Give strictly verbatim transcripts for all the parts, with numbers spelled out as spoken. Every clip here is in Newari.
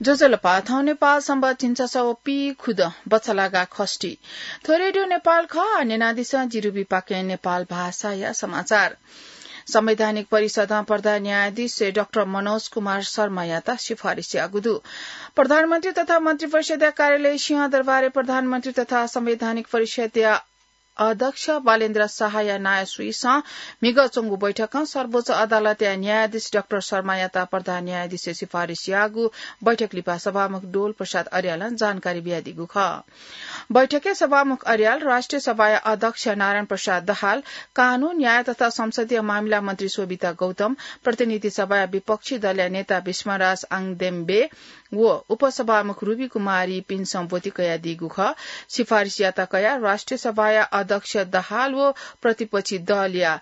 ज्वजलपा, थौं नेपाल संवत् झिंछसः व पीखुदँ बछलागा खष्ठी। थ्व रेडियो नेपाल खः, न्यनादिसँ जिरुबी पाखें नेपाल भाषाया समाचार। संवैधानिक परिषदं प्रधान न्यायाधीश डाक्टर मनोज कुमार शर्मायात सिफारिस याःगु दु। प्रधानमन्त्री तथा मन्त्रिपरिषदया कार्यालय सिंहदरबारय् प्रधानमन्त्री तथा संवैधानिक परिषदया अध्यक्ष बालेन्द्र शाहया नायः सुइसं म्हिगः च्वंगु बैठकं सर्वोच्च अदालतया न्यायाधीश डाक्टर शर्मायात प्रधान न्यायाधीशया सिफारिस याःगु बैठक लिपा सभामुख डोल प्रसाद अर्यालं जानकारी बियादीगु खः। बैठकय् सभामुख अर्याल, राष्ट्रिय सभाया अध्यक्ष नारायण प्रसाद दाहाल, कानून, न्याय तथा संसदीय मामिला मन्त्री शोभिता गौतम, प्रतिनिधि सभाया विपक्षी दलया नेता विश्वराज आङदेम्बे व उपसभामुख रुबी कुमारीपिन्सं ब्वति कयादीगु खः। सिफारिसयात कयाः राष्ट्रिय सभाया अध्यक्ष दाहाल व प्रतिपक्षी दलया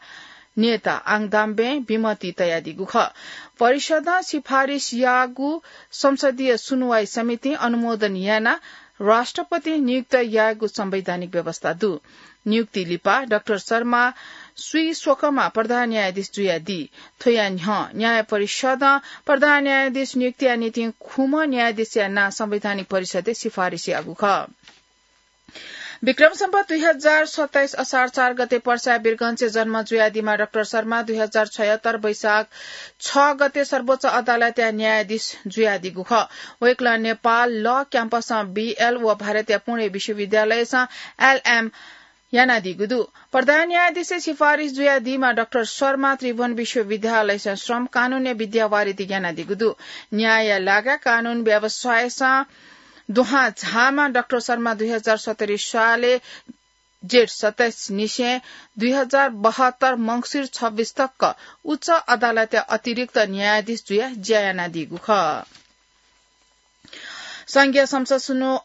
नेता आङदाम्बें विमति तयादीगु खः। परिषदं सिफारिस याःगु संसदीय सुनुवाई समितिं अनुमोदन यानाः राष्ट्रपतिं नियुक्त यायेगु संवैधानिक व्यवस्था दु। नियुक्ति लिपा डाक्टर शर्मा स्वीस्वकःमा प्रधान न्यायाधीश जुयादी। थ्वया न्ह्यः न्याय परिषदं प्रधान न्यायाधीश नियुक्तिया निंतिं खुम्ह न्यायाधीशया नां संवैधानिक परिषदय् सिफारिस याःगु खः। विक्रम सम्वत दुई हजार सत्ताइस असार चार गते पर्सा वीरगंजय् जन्म जुयादीम्ह डाक्टर शर्मा दुई हजार छयत्तर वैशाख छ गते सर्वोच्च अदालतया न्यायाधीश जुयादीगु खः। वय्कलं नेपाल ल क्याम्पसं बीएल व भारतया पुणे विश्वविद्यालयसं एलएम यानादीगु दु। प्रधान न्यायाधीशया सिफारिस जुयादीम्ह डाक्टर शर्मा त्रिभुवन विश्वविद्यालयसं श्रम कानूनया विद्यावारिधि यानादीगु दु। न्यायया लागाय् कानून व्यवसायसं दुहां झाःम्ह डाक्टर शर्मा दुई हजार सत्तरी सालय् जेठ सत्ताइस निसें दुई हजार बहत्तर मंसिर छब्बीस तक उच्च अदालतया अतिरिक्त न्यायाधीश जुयाः ज्या यानादीगु खः। संघीय संसद सुनु-,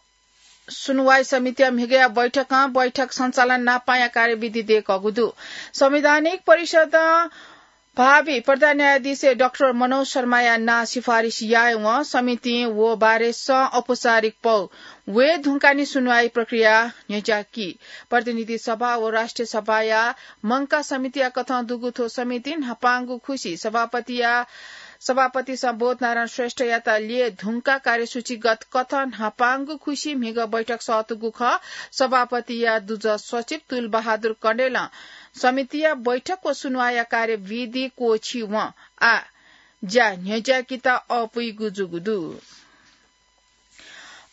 सुनुवाई समितिया म्हिगःया बैठकं बैठक सञ्चालन नापांया कार्यविधि दय्कूगु दु। संवैधानिक परिषदं भावी प्रधान न्यायाधीश डाक्टर मनोज शर्माया नां सिफारिस यायेवं समितिं व बारे सं औपचारिक पौ वये धुंकाः निं सुनुवाई प्रक्रिया न्ह्यज्याकी। प्रतिनिधि सभा व राष्ट्रिय सभाया मंकाः समितिया कथं दुगु थ्व समितिं न्हापांगु खुसि सभापतिया सभापतिसं बोधनारायण श्रेष्ठयात ल्यये धुंकाः कार्यसूचीगत कथं न्हापांगु खुसि म्हिगः बैठक सःतूगु खः। सभापतिया दुजः सचिव तुलबहादुर कँडेलं समितिया बैठक व सुनुवाया कार्यविधि क्वःछिवं आः ज्या न्ह्यज्याकेत अःपुइगु जूगु दु।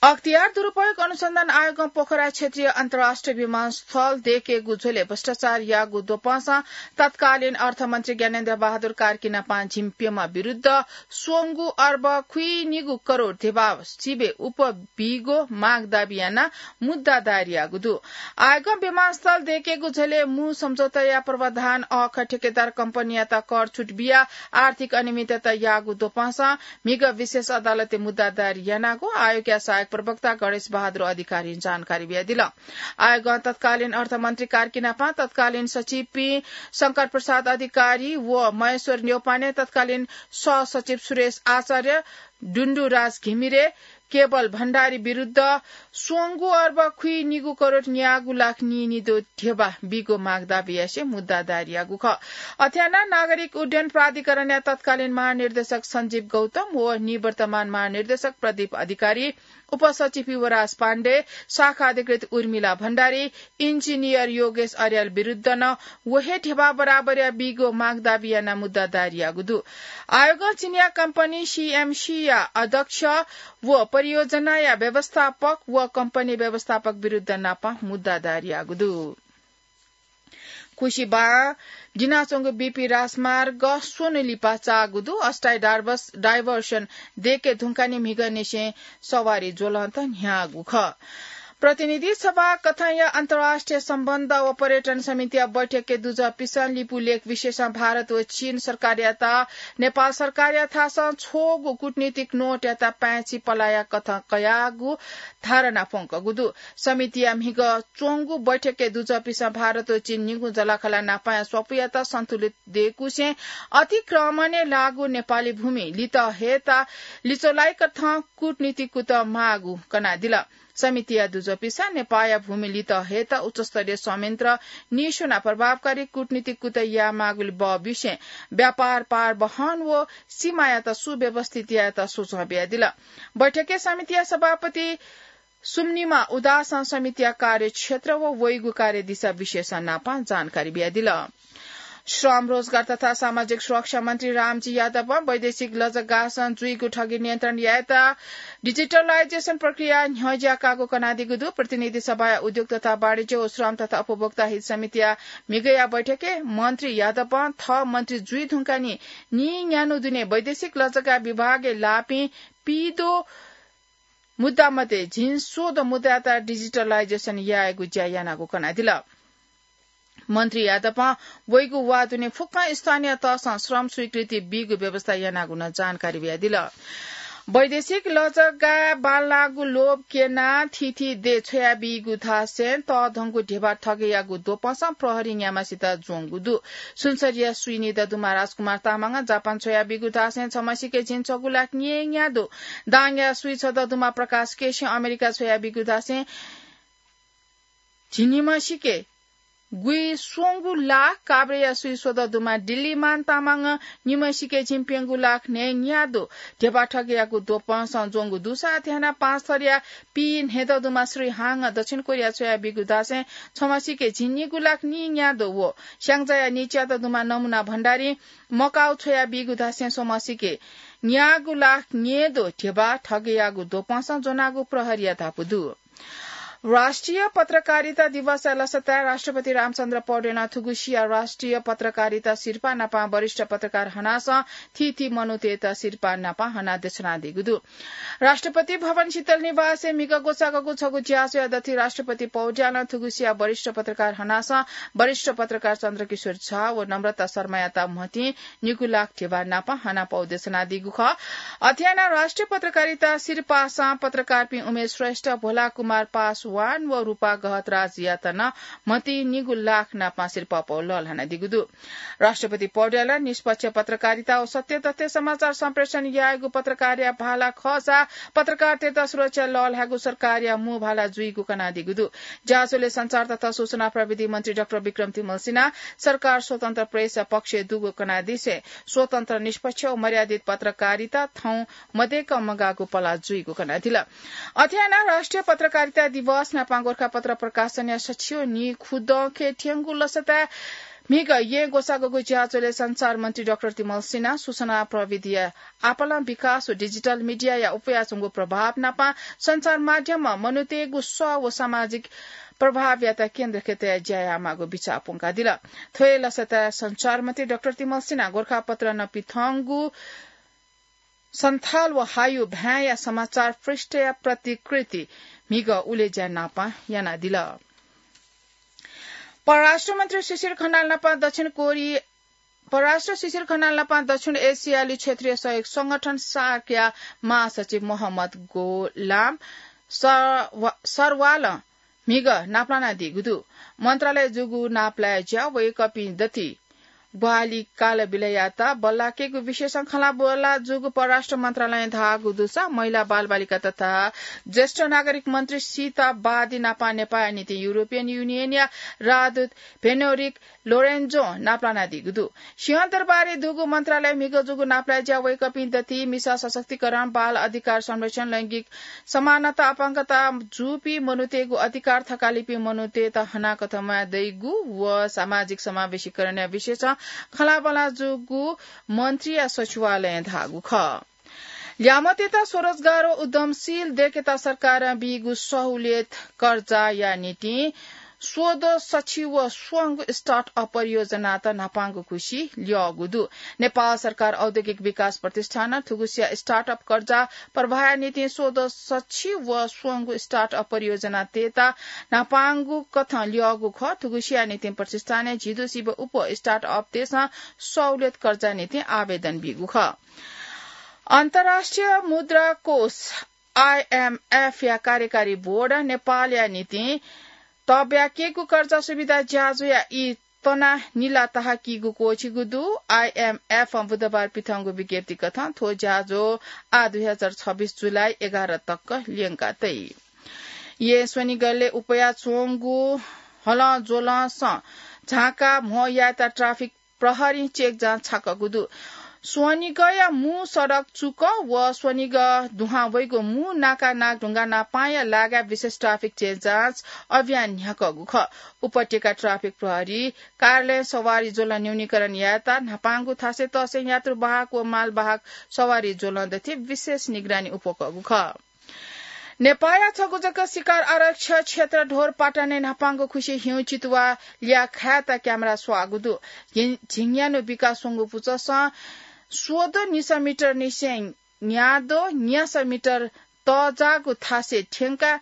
अख्तियार दुरुपयोग अनुसन्धान आयोगं पोखरा क्षेत्रीय अन्तर्राष्ट्रिय विमानस्थल दय्केगु झ्वलय् भ्रष्टाचार याःगु द्वपंसं तत्कालीन अर्थमन्त्री ज्ञानेन्द्र बहादुर कार्कीनापं झिंप्यम्ह विरुद्ध स्वंगू अर्ब खुइनिगू करोड ध्यबा सिबें उप बीगो माग दाबी यानाः मुद्दा दायर याःगु दु। आयोगं विमानस्थल दय्केगु झ्वलय् मू सम्झौताया प्रावधान अःखः ठेकेदार कम्पनीयात कर छुट बियाः आर्थिक अनियमितता याःगु द्वपंसं म्हिगः विशेष अदालतय् मुद्दा दायर यानागु आयोगया सहायक प्रवक्ता गणेश बहादुर अधिकारीं जानकारी बियादिल। आयोगं तत्कालीन अर्थमन्त्री कार्कीनापं, तत्कालीन सचिवपिं शंकर प्रसाद अधिकारी व महेश्वर न्यौपाने, तत्कालीन सहसचिव सुरेश आचार्य, डुन्डुराज घिमिरे, केवल भण्डारी विरुद्ध स्वंगू अर्ब खुइनिगू करोड न्यागू लाख नीनिद्वः ध्यबा बीगु माग दाबी यासें मुद्दा दायर याःगु खः। अथे यानाः नागरिक उड्डयन प्राधिकरणया तत्कालीन महानिर्देशक सञ्जीव गौतम व निवर्तमान महानिर्देशक प्रदीप अधिकारी, उपसचिव युवराज पाण्डे, शाखा अधिकृत उर्मिला भण्डारी, इन्जिनियर योगेश अर्याल विरुद्ध नं व हे ध्यबा बराबरया बीगु माग दाबी यानाः मुद्दा दायर याःगु दु। आयोगं चिनियाँ कम्पनी सीएमसीया अध्यक्ष व परियोजनाया व्यवस्थापक व कम्पनी व्यवस्थापक विरुद्ध नापं मुद्दा दायर याःगु दु। खुसि बां दिनाच्वंगु बीपी राजमार्ग स्वन्हु लिपा चाःगु दु। अस्थायी डार्भस-, डाइभर्सन दय्के धुंकाः निं म्हिगःनिसें सवारी ज्वलंत न्ह्याःगु खः। प्रतिनिधि सभा कथंया अन्तर्राष्ट्रिय सम्बन्ध व पर्यटन समितिया बैठकय् दुजःपिसं लिपू लेख विषयसं भारत व चीन सरकारयात नेपाल सरकारया थासं छ्वःगु कूटनीतिक नोटयात पाय्छि पलाया कथं कयागु धारणा प्वंकूगु दु। समितिया म्हिगः च्वंगु बैठकय् दुजःपिसं भारत व चीन निगू जःलाखःला न्हापांया स्वापूयात सन्तुलित दय्कूसें अतिक्रमणय् लाःगु नेपाली भूमि लित हयेत लिच्वलाइक थें कूटनीतिक कुतः माःगु कनादिल। समितिया दुजःपिसं नेपाःया भूमि लित हयेत उच्चस्तरीय संयन्त्र निस्वनाः प्रभावकारी कूटनीतिक कुतः यायेमाःगुलिं बहःबुसें व्यापार पारवहन व सीमायात सुव्यवस्थित यायेत सुझाव बियादिल। बैठकय् समितिया सभापति सुम्निमा उदासं समितिया कार्यक्षेत्र व वइगु कार्यदिशा विषयसं नापं जानकारी बियादिल। श्रम, रोजगार तथा सामाजिक सुरक्षा मन्त्री रामजी यादवं वैदेशिक लजगासं जुइगु ठगी नियन्त्रण यायेत digitalization प्रक्रिया न्ह्यज्याकागु कनादीगु दु। प्रतिनिधि सभाया उद्योग तथा वाणिज्य व श्रम तथा उपभोक्ता हित समितिया म्हिगःया बैठकय् मन्त्री यादवं थः मन्त्री जुइ धुंकाः निं न्यान्हु दुने वैदेशिक लजगा विभागय् लाःपिं पीद्वः मुद्दा मध्ये झिंस्वदँ मुद्दायात digitalization यायेगु ज्या यानागु कनादिल। मन्त्री यादवं वइगु वा दुने फुक्क स्थानीय तहसं श्रम स्वीकृति बीगु व्यवस्था यानागु नं जानकारी बियादिल। वैदेशिक लजगाय् बांलाःगु लोभ क्यनाः थीथी देय् छ्वयाबीगु धासें तःधंगु ध्यबा ठगय्यागु द्वपंसं प्रहरीं न्याम्हसित ज्वंगु दु। सुनसरीया स्वीनिदँ दुम्ह राजकुमार तामाङं जापान छ्वयाबीगु धासें छम्हसिके झिंछगू लाख न्येन्या दु। दाङया स्वीछदँ दुम्ह प्रकाश केसीं अमेरिका छ्वयाबीगु धासें झिंनिम्हसिके गुइस्वंगू लाख, काभ्रेया स्वीस्वदँ दुम्ह दिल्लीमान तामाङं निम्हसिके झिंप्यंगू लाख न्येन्या दु। ध्यबा ठगय्यागु द्वपंसं ज्वंगु दुसा अथे यानाः पाँचथरया पीन्हय्दँ दुम्ह श्री हाङं दक्षिण कोरिया छ्वयाबीगु धासें छम्हसिके झिंनिगू लाख नीन्या दु व स्याङ्जाया नीच्यादँ दुम्ह नमुना भण्डारीं मकाउ छ्वयाबीगु धासें स्वम्हसिके न्यागू लाख न्येदँ ध्यबा ठगय्यागु द्वपंसं ज्वनागु प्रहरीया धापू दु। राष्ट्रिय पत्रकारिता दिवसया लसताय् राष्ट्रपति रामचन्द्र पौडेलं थुगुसिया राष्ट्रिय पत्रकारिता सिरपाः नापं वरिष्ठ पत्रकार हनासं थीथी मनूतय्त सिरपाः नापं हनाः देछानादीगु दु। राष्ट्रपति भवन शीतल निवासय् म्हिगः ग्वसाःगु छगू ज्याझ्वःया दथुइ राष्ट्रपति पौड्यालं थुगुसिया वरिष्ठ पत्रकार हनासं वरिष्ठ पत्रकार चन्द्रकिशोर झा व नम्रता शर्मायात म्हतिं निगू लाख ध्यबा नापं हनापौ देछानादीगु खः। अथे यानाः राष्ट्रिय पत्रकारिता सिरपाःसं पत्रकारपिं उमेश श्रेष्ठ, भोला कुमार पासवान व रूपा गहतराजयात नं म्हतिं निगू लाख नापं सिरपाःपौ लःल्हानादीगु दु। राष्ट्रपति पौड्यालं निष्पक्ष पत्रकारिता व सत्य तथ्य समाचार सम्प्रेषण यायेगु पत्रकारया भाला खःसा पत्रकारतय्त सुरक्षा लःल्हायेगु सरकारया मू भाला जुइगु कनादीगु दु। ज्याझ्वलय् सञ्चार तथा सूचना प्रविधि मन्त्री डाक्टर विक्रम तिमल सिन्हां सरकार स्वतन्त्र प्रेसया पक्षय् दुगु कनादिसें स्वतन्त्र, निष्पक्ष व मर्यादित पत्रकारिता थौं मदय्क मगाःगु पला जुइगु कनादिल। अथे यानाः राष्ट्रिय पत्रकारिता दिवस नापं गोरखापत्र प्रकाशनया सछिय् निखुदँखे थ्यंगु लसताय् म्हिगः येँ ग्वसाःगु ज्याझ्वलय् सञ्चार मन्त्री डाक्टर तिमल सिन्हां सूचना प्रविधिया आपालं विकास व डिजिटल मिडियाया उपयाच्वंगु प्रभाव नापं सञ्चार माध्यमं मनूतय्गु सः व सामाजिक प्रभावयात केन्द्रखे तयाः ज्या यायेमाःगु बिचाः प्वंकादिल। थ्व हे लसताय् सञ्चार मन्त्री डाक्टर तिमल सिन्हां गोरखापत्र नपिथंगु सन्थाल व हायु भाय्या समाचार पृष्ठया प्रतिकृति म्हिगः उलेज्या नापं यानादिल। परराष्ट्र मन्त्री शिशिर खनाल नापं दक्षिण कोरि-, परराष्ट्र शिशिर खनाल नापं दक्षिण एसियाली क्षेत्रीय सहयोग संगठन सार्कया महासचिव मोहम्मद गोलाम सरवा-, सरवालं म्हिगः नापलानादीगु दु। मन्त्रालय जूगु नापलाये ज्या वय्कःपिं दथुइ ग्वाहालि कालबिलय्यात बल्लाकेगु विषयसं खँल्हाबल्ला जूगु परराष्ट्र मन्त्रालयं धाःगु दुसा महिला, बालबालिका तथा ज्येष्ठ नागरिक मन्त्री सीता बादी नापं नेपाःया निंतिं युरोपियन युनियनया राजदूत भेनोरिक लोरेन्जों नापलानादीगु दु। सिंहदरबारय् दुगु मन्त्रालयं म्हिगः जूगु नापलाये ज्या वय्कःपिं दथुइ मिसा सशक्तिकरण, बाल अधिकार संरक्षण, लैंगिक समानता, अपाङ्गता जूपिं मनूतय्गु अधिकार, थकालिपिं मनूतय्त हनाकथं म्वाये दइगु व सामाजिक समावेशीकरणया विषयसं खँल्हाबल्ला जूगु मन्त्रीया सचिवालयं धाःगु खः। ल्याय्म्हतय्त स्वरोजगार व उद्यमशील दय्केत सरकारं बीगु सहुलियत कर्जाया निंतिं स्वदँ सछि व स्वंगू start-up परियोजनात न्हापांगु खुसि ल्यःगु दु। नेपाल सरकार औद्योगिक विकास प्रतिष्ठानं थुगुसिया start-up कर्जा प्रवाहया निंतिं स्वदँ सछि व स्वंगू start-up परियोजनातय्त न्हापांगु कथं ल्यःगु खः। थुगुसिया निंतिं प्रतिष्ठानय् झिदँ सिबें अप्वः start-up-तय्सं सहुलियत कर्जा निंतिं आवेदन बीगु खः। अन्तर्राष्ट्रिय मुद्रा कोष, आइएमएफया कार्यकारी बोर्डं नेपालया निंतिं तःब्याकेगु कर्जा सुविधा ज्याझ्वःया ई तनाः निला ताहाकीगु क्वःछिगु दु। आइएमएफं बुधबार पिथंगु विज्ञप्ति कथं थ्व ज्याझ्वः आः दुई हजार छब्बिस जुलाई एघार तक ल्यंका तइ। येँ स्वनिगलय् उपया च्वंगु हलं ज्वलंसं झांका म्हो यायेत ट्राफिक प्रहरीं चेक जाँच छाकःगु दु। स्वनिगःया मू सडक चुक व स्वनिगः दुहां वइगु मू नाका नागढुङ्गा नापांया लागाय् विशेष ट्राफिक चेक जाँच अभियान न्ह्याकःगु खः। उपत्यका ट्राफिक प्रहरी कार्यालयं सवारी ज्वलं न्यूनीकरण यायेत न्हापांगु थासय् तःसं यात्रु वाहक व माल वाहक सवारी ज्वलं दथि विशेष निगरानी उप्वकःगु खः। नेपाःया छगू जक शिकार आरक्ष क्षेत्र ढोरपाटनय् न्हापांगु खुसि हिउँ चितुवा ल्याः खायेत क्यामेरा स्वाःगु दु। झिं-, झिंन्यान्हु बिका स्वंगु पुचःसं स्वद्वः निसः मिटर निसें न्याद्वः न्यासः मिटर तःजाःगु थासय् थ्यंकाः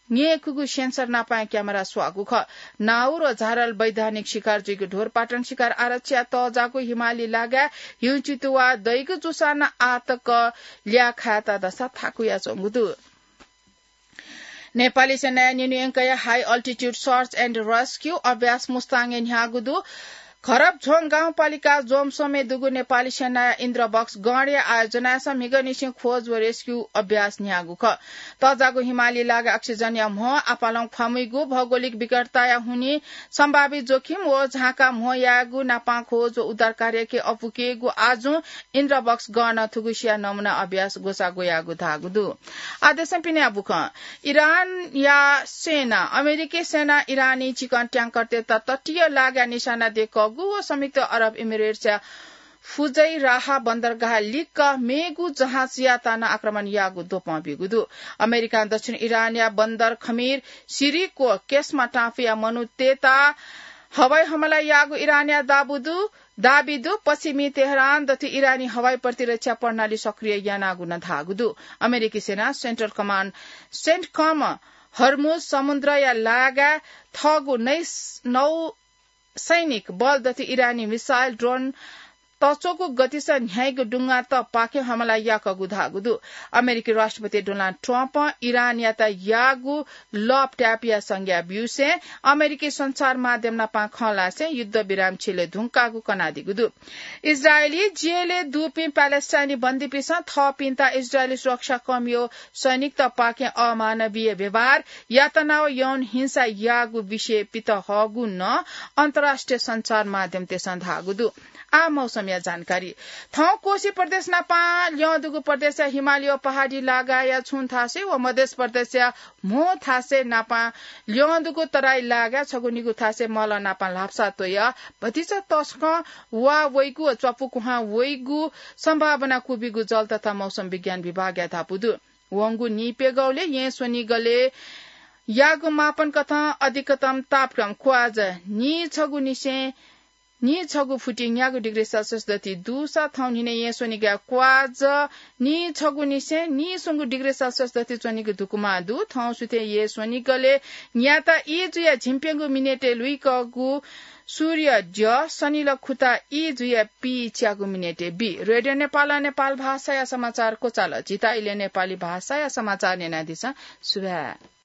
न्यय्‌कूगु सेन्सर नापां क्यामेरा स्वाःगु खः। नाउर व झारल वैधानिक शिकार जुइगु ढोरपाटन शिकार आरक्षया तःजाःगु हिमाली लागाय् हिउँ चितुवा दइगु जूसां नं आःतक ल्याः खायेत धसा थाकुयाच्वंगु दु। नेपाली सेनाया निन्हु यंकया high altitude search and rescue अभ्यास मुस्ताङय् न्ह्याःगु दु। घरपझ्वं गाउँपालिका जोमसोमय् दुगु नेपाली सेनाया इन्द्रबक्स गणया आयोजनाय् म्हिगःनिसें खोज व रेस्क्यू अभ्यास न्ह्याःगु खः। तःजाःगु हिमाली लागाय् अक्सिजनया म्हो आपालं ख्वामुइगु, भौगोलिक विकटताया हुनिं सम्भावित जोखिम व झांका म्हो यायेगु नापां खोज व उद्धार कार्यय् अपुकेगु आजुं इन्द्रबक्स गणं थुगुसिया नमुना अभ्यास ग्वसाः ग्वयागु धाःगु दु। आः देशं पिने बुखँ। इरानया सेना, अमेरिकी सेना इरानी चिकन ट्याङ्करतय्‌त तटीय लागाय् निशाना दय्‌कःगु व संयुक्त अरब इमिरेट्सया फुजैराह बन्दरगाह लिक्क मेगु जहाजयात नं आक्रमण याःगु द्वपं ब्यूगु दु। अमेरिकां दक्षिण इरानया बन्दर खमीर, सिरिक व केस्मा टापुया मनूतय्‌त हवाई हमला याःगु इरानया दाबी दु। पश्चिमी तेहरान दथुइ इरानी हवाई प्रतिरक्षा प्रणाली सक्रिय यानागु नं धाःगु दु। अमेरिकी सेना सेन्ट्रल कमान्ड, सेन्टकम, हर्मुज समुद्रया लागाय् थःगु नौ सैनिक बल दथुइ इरानी मिसाइल, ड्रोन तच्वःगु गतिसं न्ह्याइगु डुंगातपाखें हमला याकःगु धाःगु दु। अमेरिकी राष्ट्रपति डोनाल्ड ट्रम्पं इरानयात याःगु लःप त्यायेपिया संज्ञा ब्यूसें अमेरिकी सञ्चार माध्यम नापां खँ ल्हासें युद्धविराम छिले धुंकाःगु कनादीगु दु। इजरायली जेलय् दुपिं प्यालेस्टाइनी बन्दीपिन्सं थःपिन्त इजरायली सुरक्षा कर्मीयो सैनिकतपाखें अमानवीय व्यवहार, यातना व यौन हिंसा याःगु विषय पित हःगु नं अन्तर्राष्ट्रिय सञ्चार माध्यमतय्‌सं धाःगु दु। आः मौसमया जानकारी। थौं कोशी प्रदेश नापां ल्यं दुगु प्रदेशया हिमालय पहाडी लागाया छुं थासय् व मधेश प्रदेशया म्हो थासय् नापां ल्यं दुगु तराई लागाय् छगू निगू थासय् मलं नापां ल्हापसा त्वय् भतिचा तसकं वा वइगु व च्वापु कुहां वइगु सम्भावना क्वबिगु जल तथा मौसम विज्ञान विभागया धापू दु। वंगु नीप्यघौलय् येँ स्वनिगलय् याःगु मापन कथं अधिकतम तापक्रम क्वाज नीछगू निसें नीछगू फुति न्यागू डिग्री सेल्सियस दथुइ दुसा थौं न्हिनय् येँ स्वनिगलय् क्वाज नीछगू निसें नीस्वंगू डिग्री सेल्सियस दथुइ च्वनीगु धुकुमा दु। थौं सुथय् येँ स्वनिगलय् न्याता ई जुया झिंप्यंगू मिनेटय् लुइकःगु सूर्य द्यः सनिल खुता ई जुया पीच्यागू मिनेटय् बी। रेडियो नेपालं नेपाल भाषाया समाचार क्वचाल। झीत इलय् नेपाली भाषाया समाचार न्यनादिसँ। सुभाय्।